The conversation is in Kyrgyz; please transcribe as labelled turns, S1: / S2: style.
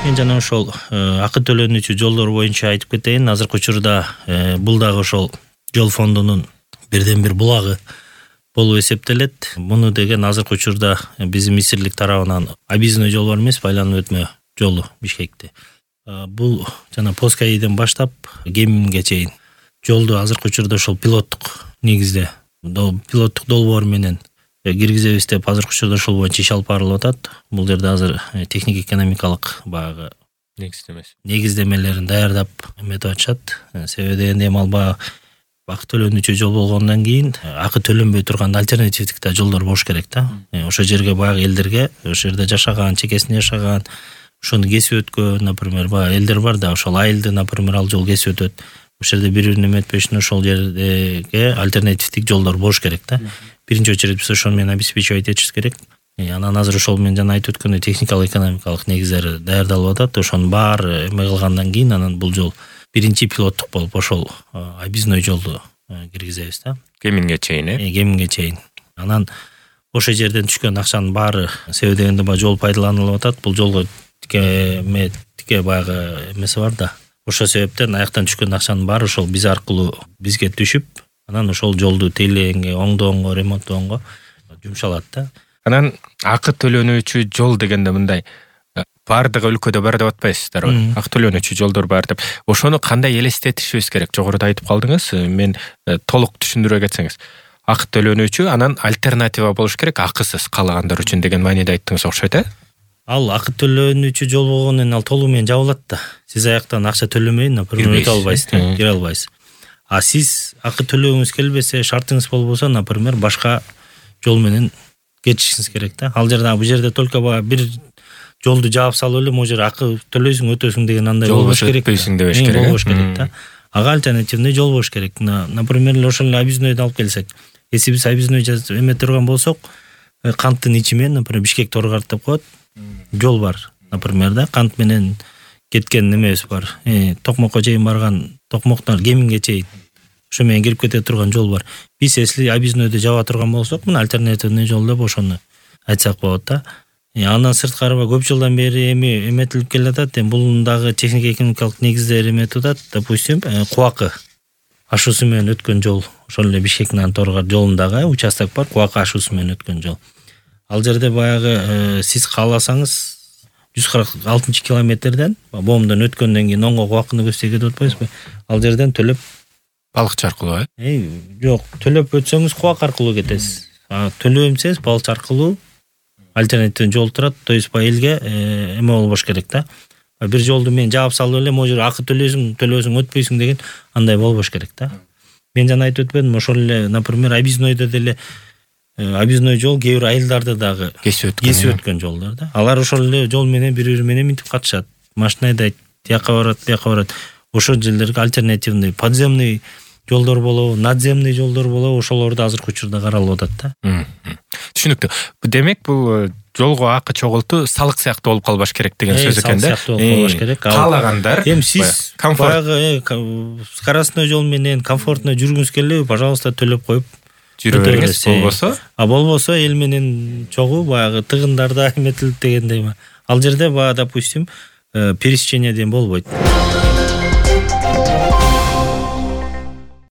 S1: Мен жана ошол акы төлөнүүчү жолдор боюнча айтып кетейин. Азыркы учурда бул дагы ошол жол фондунун бирден бир булагы болуп эсептелет. Муну деген азыркы учурда биздин министрлик тарабынан объездной жол бар эмес, байланып өтмө жолу Бишкекте. Бул жана Поскайден баштап Кеминге чейин жолду азыркы учурда ошол пилоттук негизде пилоттук долбоор менен киргизебиз деп азыркы учурда ошол боюнча иш алып барылып атат. Бул жерде азыр техник экономикалык баягы негиздемелерин даярдап эметип атышат. Себеби дегенде эми албагы акы төлөнүүчү жол болгондон кийин акы төлөнбөй турган альтернативдик да жолдор болуш керек да. Ошо жерге баягы элдерге, ошо жерде жашаган, чекесинде жашаган, ошону кесип өткөн, например, баягы элдер бар да, ошол айылды, например, ал жол кесип өтөт. Ошол жерде бири-бирин эметпеш үчүн ошол жерге альтернативдик жолдор болуш керек да. Биринчи очередь биз ошону менен обеспечивать этишибиз керек. Анан азыр ошол менен жана айтып өткөндөй техникалык экономикалык негиздери даярдалып атат. Ошонун баары эме кылгандан кийин анан бул жол биринчи пилоттук болуп ошол объездной жолду киргизебиз да.
S2: Кеминге чейин,
S1: Кеминге чейин. Анан ошол жерден түшкөн акчанын баары себеби дегенде баягы жол пайдаланылып атат. Бул жолго тике баягы эмеси бар да. Ошол себептен аяктан түшкөн акчанын баары ошол биз аркылуу бизге түшүп, анан ошол жолду тейлээнге, оңдоонго, ремонттоонго жумшалат да.
S2: Анан акы төлөнүүчү жол дегенде мындай баардык өлкөдө бар деп атпайсыздарбы? Акы төлөнүүчү жолдор бар деп. Ошону кандай элестетишибиз керек? Жогоруда айтып калдыңыз. Мен толук түшүндүрө кетсеңиз. Акы төлөнүүчү, анан альтернатива болуш керек акысыз каалагандар үчүн деген мааниде айттыңыз, окшойт,
S1: Ал акы төлөнүүчү жол болгондон ал толугу менен жабылат да. Сиз аяктан акча төлөмөй, например, өтө албайсыз, кире албайсыз. А сиз акы төлөгүңүз келбесе, шартыңыз болбосо, например, башка жол менен кетишиңиз керек да. Ал жерде бул жерде только бир жолду жаап салып эле могу жер акы төлөйсүң, өтөсүң деген андай болбош керек.
S2: Өтпөйсүң дебеш керек.
S1: Болбош керек да. Ага альтернативный жол болуш керек. Например, ошол эле объезднойду алып келсек. Если биз объездной эме турган болсок, канттын ичи менен, например, Бишкек Торгарт деп коет. Жол бар, например, да, кант менен кеткен немебиз бар. Токмокко чейин барган, Токмоктон Кеминге чейин ошо менен кирип кете турган жол бар. Биз если объезднойду жаба турган болсок, мына альтернативный жол деп ошону айтсак болот да. Андан сырткары көп жылдан бери эметилип келатат. Бул дагы техник экономикалык негиздери эметип атат. Допустим, Кубакы ашуусу менен өткөн жол, ошол эле Бишкектен Торгарт жолундагы участок бар, Кубакы ашуусу менен өткөн жол. Ал жерде баягы сиз кааласаңыз 146 километрден Боомдон өткөндөн кийин оңго Кубакыны көздөй кетип атпайсызбы? Ал жерден төлөп
S2: балыкчы аркылуу,
S1: жок, төлөп өтсөңүз Кубак аркылуу кетесиз. Төлөбөмсеңиз балыкчы аркылуу альтернативный жол турат. То есть элге эме болбош керек да. Бир жолду мен жаап салып эле могу жер акы төлөйсүң, өтпөйсүң деген андай болбош керек да. Мен жана айтып өтпөдүм, ошол эле, например, объезднойдо деле объездной жол кээ бир айылдарды дагы кесип өткөн жолдор да. Алар ошол эле жол менен бири-бири менен минтип катышат. Машина айдайт, тияка барат, бияка барат. Ошол жерлерге альтернативный подземный жолдор болобу, надземный жолдор болобу, ошолорду азыркы учурда каралып атат да.
S2: Түшүнүктүү. Демек бул жолго акы чогултуу салык сыяктуу болуп калбаш керек деген сөз экен да.
S1: Салык сыяктуу болуп калбаш керек.
S2: Каалагандар
S1: эми сиз баягы скоростной жол менен комфортно жүргүңүз келеби, пожалуйста, төлөп коюп
S2: жүрө бериңиз.
S1: Болбосо эл менен чогуу баягы тыгындарда эметилип дегендей. Ал жерде допустим, пересечение деген болбойт.